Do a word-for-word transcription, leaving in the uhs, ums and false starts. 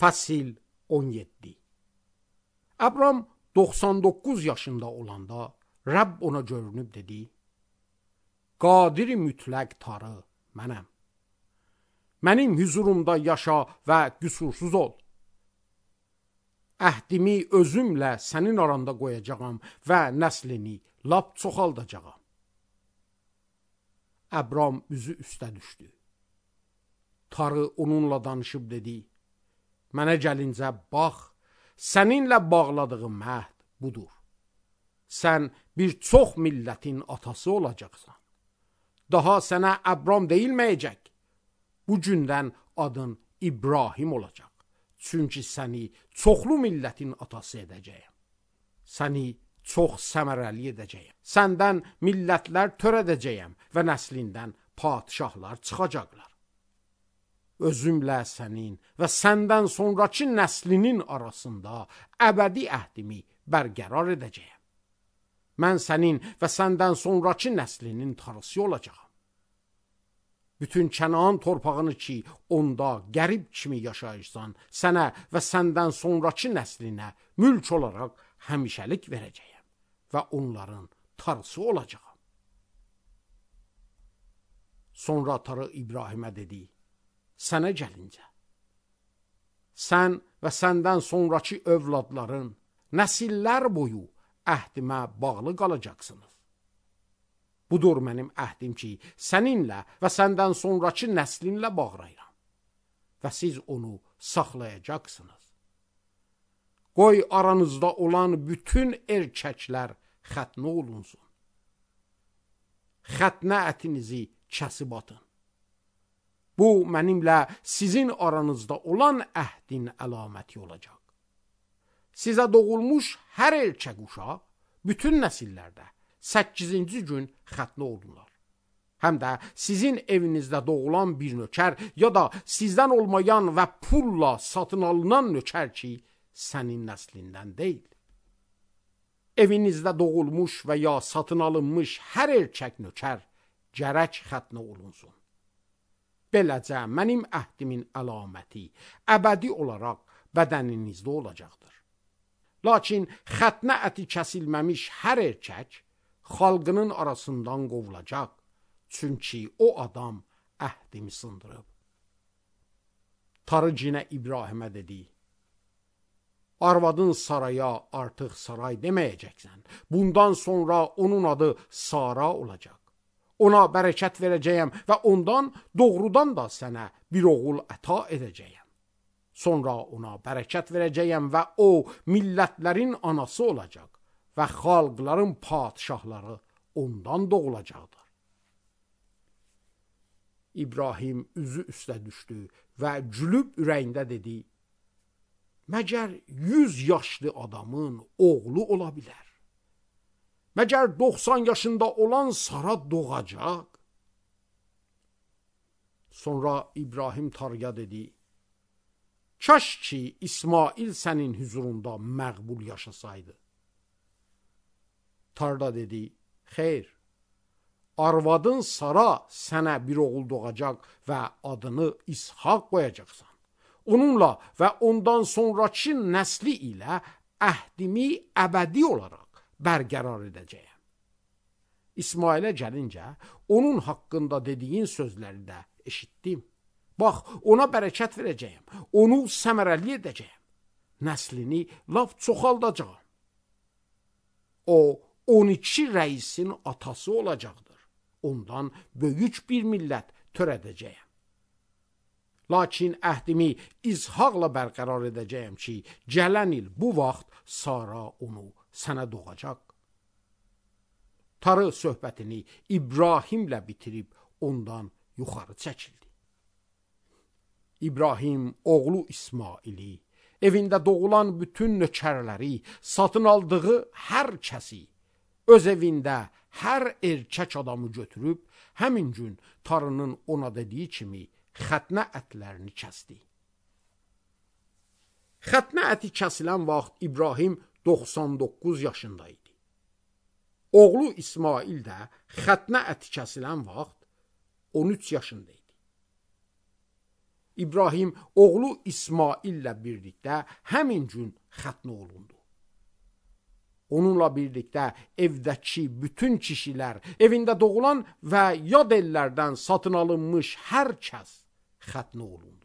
Fəsil on yeddi. Abram doxsan doqquz yaşında olanda Rəbb ona görünüb dedi: Qadir-i mütləq Tanrı mənəm. Mənim huzurumda yaşa və qüsursuz ol. Əhdimi özümlə sənin aranda qoyacağam və nəslini lap çoxaldacağam. Abram üzü üstə düşdü. Tanrı onunla danışıb dedi: Mənə gəlincə bax, səninlə bağladığım əhd budur. Sən bir çox millətin atası olacaqsan. Daha sənə Abram deyilməyəcək. Bu gündən adın İbrahim olacaq. Çünki səni çoxlu millətin atası edəcəyəm. Səni çox səmərəli edəcəyəm. Səndən millətlər törədəcəyəm və nəslindən padişahlar çıxacaqlar. Özümlə sənin və səndən sonraki nəslinin arasında əbədi əhdimi bərqərar edəcəyəm. Mən sənin və səndən sonraki nəslinin Tanrısı olacağam. Bütün Kənan torpağını ki, onda qərib kimi yaşayırsan, sənə və səndən sonraki nəslinə mülk olaraq həmişəlik verəcəyəm və onların Tanrısı olacağam. Sonra Tanrı İbrahimə dedi: Sənə gəlincə, sən və səndən sonraki övladların nəsillər boyu əhdimə bağlı qalacaqsınız. Budur mənim əhdim ki, səninlə və səndən sonraki nəslinlə bağlayıram və siz onu saxlayacaqsınız. Qoy aranızda olan bütün erkəklər xətnə olunsun. Xətnə ətinizi kəsib atın. Bu, mənimlə sizin aranızda olan əhdin əlaməti olacaq. Sizə doğulmuş hər erkək uşaq bütün nəsillərdə səkkizinci gün xətnə olunlar. Həm də sizin evinizdə doğulan bir nökər ya da sizdən olmayan və pulla satın alınan nökər ki, sənin nəslindən deyil. Evinizdə doğulmuş və ya satın alınmış hər erkək nökər gərək xətnə olunsun. Beləcə mənim əhdimin əlaməti əbədi olaraq bədəninizdə olacaqdır. Lakin xətnə əti kəsilməmiş hər erkək xalqının arasından qovulacaq. Çünki o adam əhdimi sındırıb. Tanrı yenə İbrahimə dedi: Arvadın Saraya artıq Saray deməyəcəksən. Bundan sonra onun adı Sara olacaq. Ona bərəkət verəcəyəm və ondan doğrudan da sənə bir oğul əta edəcəyəm. Sonra ona bərəkət verəcəyəm və o millətlərin anası olacaq və xalqların padişahları ondan doğulacaqdır. İbrahim üzü üstə düşdü və gülüb ürəyində dedi: Məgər yüz yaşlı adamın oğlu ola bilər? Məgər doxsan yaşında olan Sara doğacaq? Sonra İbrahim Tanrıya dedi: Kaş ki İsmail sənin huzurunda məqbul yaşasaydı. Tanrı dedi: Xeyr, arvadın Sara sənə bir oğul doğacaq və adını İshak qoyacaqsan. Onunla və ondan sonraki nəsli ilə əhdimi əbədi olaraq bərqərar edəcəyəm. İsmailə gəlincə, onun haqqında dediyin sözləri də eşitdim. Bax, ona bərəkət verəcəyəm, onu səmərəli edəcəyəm, nəslini laf çoxaldacağam. O, on iki rəisin atası olacaqdır. Ondan böyük bir millət törədəcəyəm. Lakin əhdimi İshakla bərqərar edəcəyəm ki, gələn il bu vaxt Sara onu sənə doğacaq. Tanrı söhbətini İbrahimlə bitirib ondan yuxarı çəkildi. İbrahim oğlu İsmaili, evində doğulan bütün nökərləri, satın aldığı hər kəsi, öz evində hər erkək adamı götürüb, həmin gün Tanrının ona dediyi kimi xətnə ətlərini kəsdi. Xətnə əti kəsilən vaxt İbrahim doxsan doqquz yaşında idi. Oğlu İsmail də xətnə əti kəsilən vaxt on üç yaşında idi. İbrahim oğlu İsmaillə birlikdə həmin gün xətnə olundu. Onunla birlikdə evdəki bütün kişilər, evində doğulan və yad ellərdən satın alınmış hər kəs xətnə olundu.